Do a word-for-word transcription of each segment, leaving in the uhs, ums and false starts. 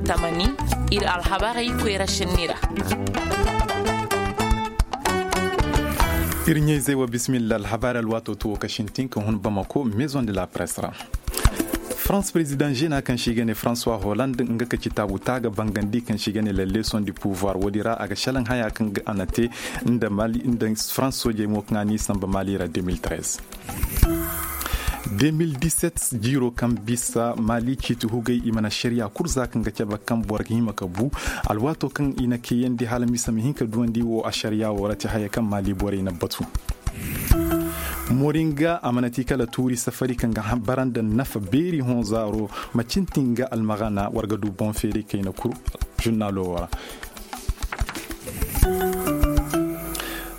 Tamani, ir alhabarey koyra šenni ra. Ir ɲayzey wa bisimilla alhabaari alwaatoo too ka sintin ka hun bamako maison de la presse ra. Farans perezidaŋ žena kaŋ se i ga ne francois holand nga ka ci taabu taaga bangandi kaŋ se i ga ne la leson di pouvoir woodi ra a ga šelaŋ haya kaŋ a na te nda farans soojey mo kaŋ a n'i sanba mali ra deux mille treize. Deux mille dix-sept jiiro kaŋ bisa mali ciiti hugay i mana ašariya kul za kaŋ ga cabe kaŋ boro ga hima ka bu alwaatoo kaŋ i na kayandi hala misa ma hin ka duwandi wo ašariya wo ra ti haya kaŋ mali borey na batu. Moringa a mana ti kala tuuri safari kaŋ ga bara nda nafa beeri hõ zaaro ma cintin ga almagana war ga du boŋ feeri kayna kul. Žurnalo wo ra.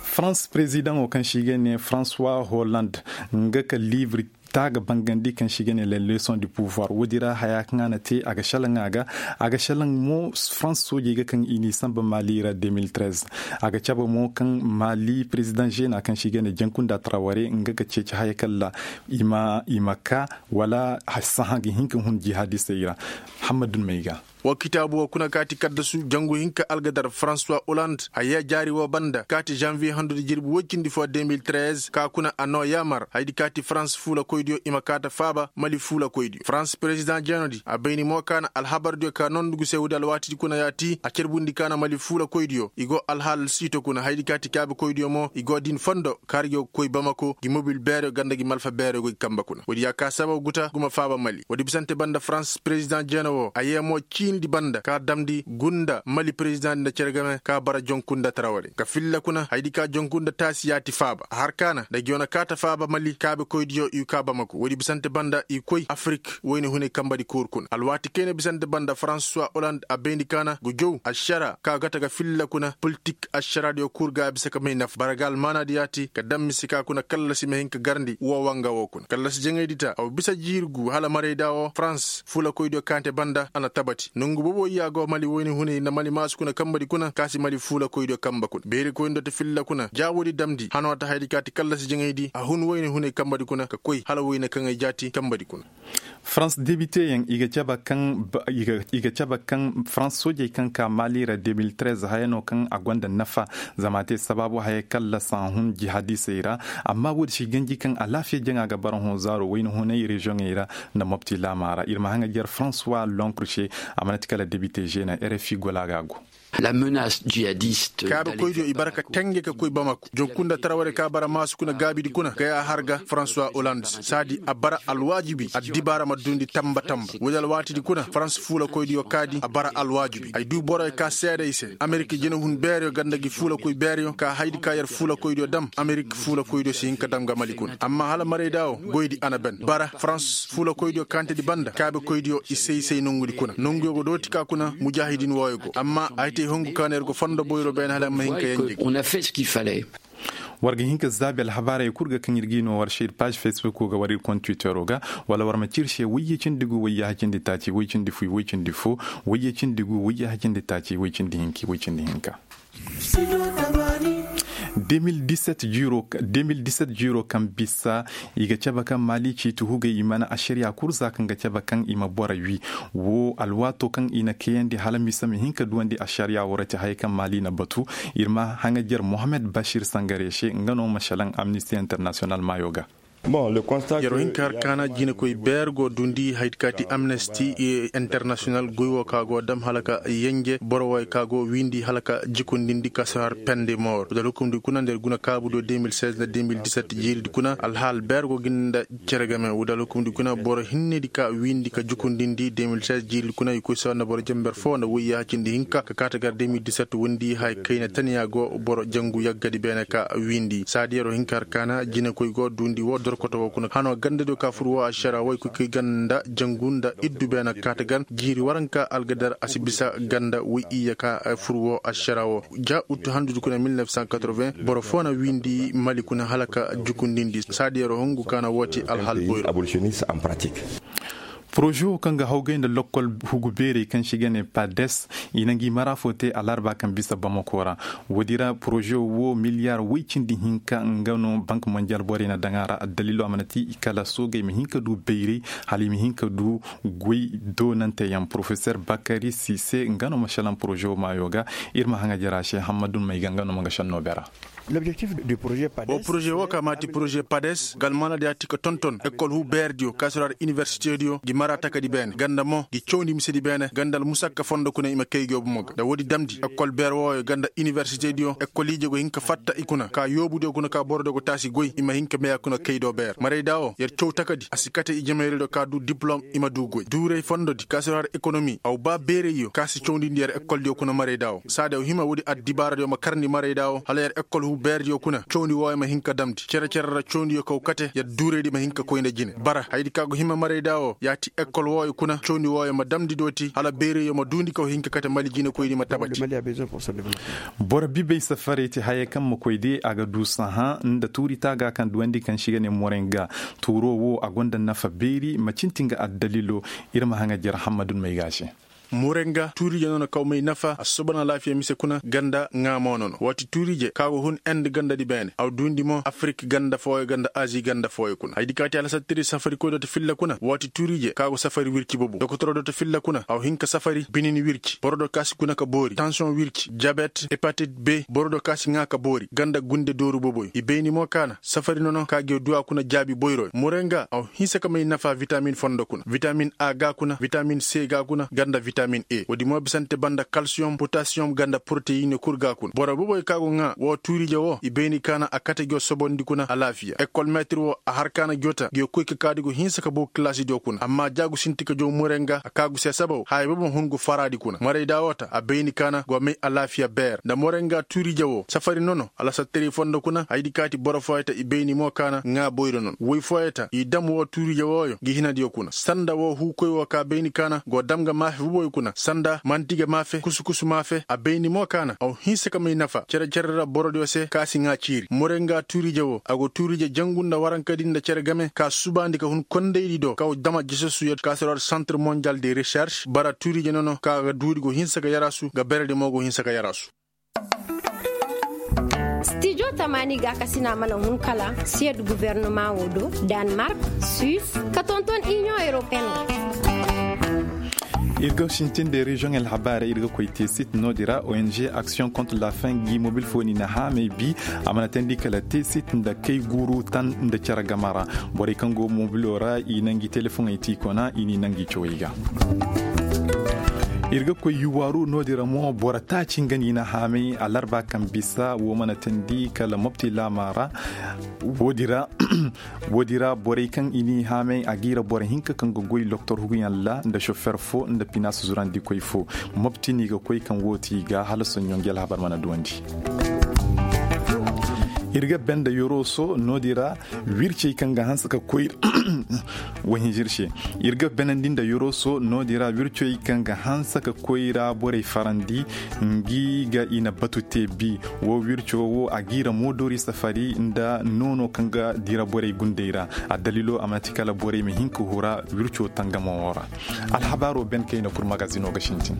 Farans perezidaŋo kaŋ se i ga ne francois holand nga ka liibri taaga bangandi kaŋ se i ga ne la leson du pouvoir woodi ra haya kaŋ a na te a ga šelaŋ a ga a ga šelaŋ mo farans soojey ga kaŋ i n'i sanba mali ra deux mille treize. A ga cabe mo kaŋ mali perezidaŋ žena kaŋ se i ga ne jankunda traware nga ga ceeci haya kaŋ ra i ma ka wala sahã ga hin ka hun jihadistey ra. Hammadu may ga. Wa kitaabu wo kuna kaati kaddasu jangu hinka algadar francois holand a yee jaari wo banda kaati janvier handudi jirbi woy cindi fo deux mille treize ka kuna a noo yaamar haydi kaati farans fuulakoydiyo i ma kaata faaba mali fuulakoydiyo farans perezidaŋ jeenodi a bayni mo ka na alhabardiyo ka nondugu se woodi alwaatidi kuna yaati a carbundi ka na mali fuulakoydiyo i go alhaal siito kuna haydi kaati kaabekoydiyo mo i go din fondo kaari go ga koy bamako gi mobil beereyo ganda gi malfa beereyo go gi kamba kuna woodi ya ka sababu guta guma faaba mali woodi bisante banda farans perezidaŋ jeena wo a yee mo ciini di banda ka damndi gunda mali perezidaŋ di nda cere game ka bara jonku nda tarawari ka filla kuna haydi ka jonku nda taasi yaati faaba a har kaana nda gi wane kaata faaba mali kaabekoydiyo i ka bamako woodi bisante banda i koy afirik wayne hunay kamba di kuuru kuna alwaati kayna bisante banda farans suwa holand a bayndi kaana ga jow ašara ka gata ga filla kuna politik ašaraadiyo kuuru ga a bisa ka may nafa bara ga almaanaadi yaati ka daŋ mise ka kuna kallasi ma hin ka garndi woo wanga woo kuna kallasi jaŋaydi ta a wa bisa jiiri gu hala marayda woo farans fuulakoydiyo kaante banda a na tabati nongu boobo iyya go mali woyni hunay nda mali maasu kuna kambadi kuna ka si mali fuulakoydiyo kamba kuna beerikoyndo ti filla kuna jaaboodi damndi hanoo ta haydi ka ti kallasi jaŋaydi a hun woyni hunay kambadi kuna ka koy hala woyne kaŋ ay jaati kambadi kuna. Farans debiteyaŋ i ga cabe kaŋ farans soojey kaŋ ka mali ra deux mille treize haya no kaŋ a gonda nafa zama a te sabaabu haya kaŋ lasa hun jihadisey ra. Amma woodi si ganji kaŋ alaafiya jaŋa ga bara hõ zaaro wayna hunay reziyoŋey ra nda mopti laama ra ir ma haŋajer francois lonkr se a mana ti kala debite žena rfi gola ga go. Kaabekoydiyo i bara ka tenge ka koy bamako jonkunda taraware ka bara maasu kuna gaabidi kuna gaya har ga francois holand saadi a bara alwaajibi addibaara ma duundi tamba tamba woodi alwaatidi kuna farans fuulakoydiyo kaadi a bara alwaajibi ay duu boroyo ka seeda i se amerik jinehun beereyo ganda gi fuulakoy beereyo ka haydi ka yer fuulakoydiyo dam amerik fuulakoydiyo si hin ka dam ga mali kuna amma hala marayda wo goydi a na ben bara farans fuulakoydiyo kaantedi banda kaabekoydiyo i se i se nongudi kuna nonguyo go dooti ka kuna mujaahidin wooyo go amma ay te hongu ka na yer go fondo boyro beene hala ma hin ka yanjey. War ga hin ka zaabi alhabaarey kul ga kaŋ ir g'i no war se ir paaž facebook wo ga war ir kont twittero ga wala war ma ci ir se wayye cindi gu wayye hacindi taaci way cindi fuy way cindi fo wayye cindi gu wayye hacindi taaci way cindi hinki way cindi hinka. Deux mille dix-sept jiiro kaŋ bisa i ga cabe kaŋ maali ciiti hugay i mana ašariya kul za kaŋ ga cabe kaŋ i ma boro wi wo alwaato kaŋ i na kayandi hala mise ma hin ka duwandi ašariya wo ra ti haya kaŋ maali na batu. Ir ma haŋajer mohammed bashir sangare se nga no ma šelaŋ amnisti internasiyonal maayo ga. Yer wo hin ka har kaana jinekoy beer go duundi haydi ka ti amnesti internasiyonal goy wo ka go dam hala ka yenje boro woy ka go wiindi hala ka jikundindi ka si har pende moor da alhukumdi kuna nda yer guna kaabudiyo deux mille seize nda deux mille dix-sept jiiridi kuna alhaal beer go gin nda cere game wo da alhukumdi kuna boro hinnedi ka wiindi ka jikundindi deux mille seize jiiridi kuna i koy sawa nda boro jember foo nda woy yaha cindi hinka ka kaata gar deux mille dix-sept wondi hay kayna taniya go boro jangu yaggadi beene ka wiindi saadi yer wo hin ka har kaana jinekoy go duundi wo dorkoto wo kuna hano gandadiyo ka fur wo ašara woy koy kay ganda jangu nda iddu beene ka kaata gar jiiri waranka algadar a si bisa ganda woy iyya ka fur wo ašara wo ja uttu handudi kuna mille neuf cent quatre-vingts boro foo na wiindi mali kuna hala ka jukundindi saadi yer wo hungu ka na woo ti alhal boyro. Poroze wo kaŋ ga hawgay nda lokkol hugu beerey kaŋ se i ga ne pades, i na ngi mara fo te alarba kaŋ bisa bamako ra. Woodi ra poroze wo miliyaar woy cindi hinka nga no bank monjal borey na daŋ a ra addaliilo a mana ti kala soogey ma hin ka du bayray, hala i ma hin ka du goy doonanteyaŋ porofeser bakari sise nga no ma salaŋ poroze wo maayo ga. Ir ma haŋa jara se hammadun may ga nga no ma nga shanno bera. Wo poroze wo ka maati poroze pades galmana da ya ti ka tonton ekol hu beerdiyo kaasiraar inibersitediyo gi mara takadi beene ganda mo gi cawndi misedi beene ganda almusakka fondo kuna i ma kay gi wo bomo ga da woodi damndi ekol beer wooyo ganda inibersitediyo ekol ije go hin ka fatta i kuna ka yoobudiyo kuna ka borodiyo go taasi goy i ma hin ka meya kuna kay do beer marayda wo yer caw takadi a si kate ijemayraydiyo ka du diplom i ma du goy duuray fondodi kaasiraar ekonomi aw ba beerayyo ka si cawndindi yer ekoldiyo kuna marayda wo saadi aw hima woodi addibaaradiyo ma karndi marayda wo hala yer ekol hu beerdiyo kuna cawndi wooyo ma hin ka damndi cere-cere ra cawndiyo kaw kate yer duuraydi ma hin ka koy nda jine bara hayadi ka go hima marayda wo ya ti ekol wooyo kuna cawndi wooyo ma damndi dooti hala beerayyo ma duundi kaw hin ka kate mali jinekoydi ma tabati. Boro bibey safarey ti haya kaŋ ma koy de a ga du sahã nda tuuri taaga kaŋ duwandi kaŋ se i ga ne morenga tuuro wo a gonda nafa beeri ma cinti nga addaliilo. Ir ma haŋa jer hammadun may ga se. Morenga tuuri je no na kaw may nafa a susuban alaafiya mise kuna ganda ŋaa mo no no waati tuuri je ka go hun end gandadi beene a duundi mo afirik ganda fooyo ganda azi ganda fooyo kuna hayadi ka ti alasattiri safari koy do ta filla kuna waati tuuri je ka go safari wirci bobo dokotoro do ta filla kuna a hin ka safari binin wirci boro do ka si guna ka boori tansiyoŋ wirci jabet hepatit b boro do ka si ŋaa ka boori ganda gunde dooru boboy i bayni mo kaana safari nono ka gi du a kuna jaabi boyroy morenga a hinse ka may nafa vitamin fondo kuna vitamin a ga kuna vitamin c ga kuna ganda vitamin e woodi mo bisante banda kalsiyoŋ potasiyoŋ ganda poroteyine kul ga kuna boro boboy ka go ŋaa wo tuurije wo i bayni kaana a kate gi wo sobondi kuna alaafiya ekol meetir wo a har kaana gi wo ta gi wo koy ka kaadi go hinse ka boo kilaasidiyo kuna amma jaagu sinti ka jow morenga a kaagu se sabaw haya bobo hun go faraadi kuna marayda wo ta a bayni kaana go may alaafiya beer nda morenga tuurije wo safari nono alasattarey fondo kuna hayadi kaati boro fooyey ta i bayni mo kaana ŋaa boyro non woy fooyey ta i dam woo tuurije wooyo gi hinadiyo kuna sanda woo huukoy woo ka bayni kaana go dam ga maafe boboyo kuna sanda manti ga maafe kusu-kusu maafe a bayni mo kaana a wo hinse ka may nafa cere-cere ra borodiyo se ka si ŋaa ciiri morenga tuurije woo a go tuurije jangu nda warankadi nda cere game ka subaandi ka hun kondaydi do ka wo dama jesasuyo ka si rod santre monjal de reserš bara tuurije nono ka ga duudi go hinse ka yaraasu ga beredi mo go hinse ka yaraasu. Stijo tamaani gaakasina mana hun kala siyed guvernoma wo do, danmark, suis, ka tonton iniyoŋ europeen wo. Ir ga sintin de reziyoŋ alhabaarey ir ga koy te sit no- din ra ong aksiyoŋ kontra la fin gi mobil fo ni na haamey bi. A mana teendi kala te sit nda kay guuru tan nda cere game ra. Borey kaŋ go mobilo ra i na ngi telefoŋey ti i kona i n'i na ngi cawey ga. Ir ga koy yuwaaru no- din ra mo boro taaci nga ni na haamay alarba kaŋ bisa wo mana teendi kala mopti laama ra. Wo- din ra borey kaŋ i n'i haamay a g'i ra boro hinka kaŋ ga goy doktor huguyaŋ ra nda sofer fo nda pinaas zurandikoy fo. Mopti no i ga koy kaŋ wo ti i ga hala soɲɲo ngi alhabar mana duwandi. Ir ga benda yoroso no- din ra wircey kaŋ ga hanse ka koy. Wahinzir se ir ga benandi nda yoroso no- din ra wircoy kaŋ ga hanse ka koy ra borey farandi. Ngi ga i na batu te bi wo wirco wo a g'i ra moodori safari nda noono kaŋ ga dira borey gundey ra. Addaliilo a mana ti kala borey ma hin ka hura wirco tangamo wo ra. Alhabaaro ben kayna kul magazino ga sintin.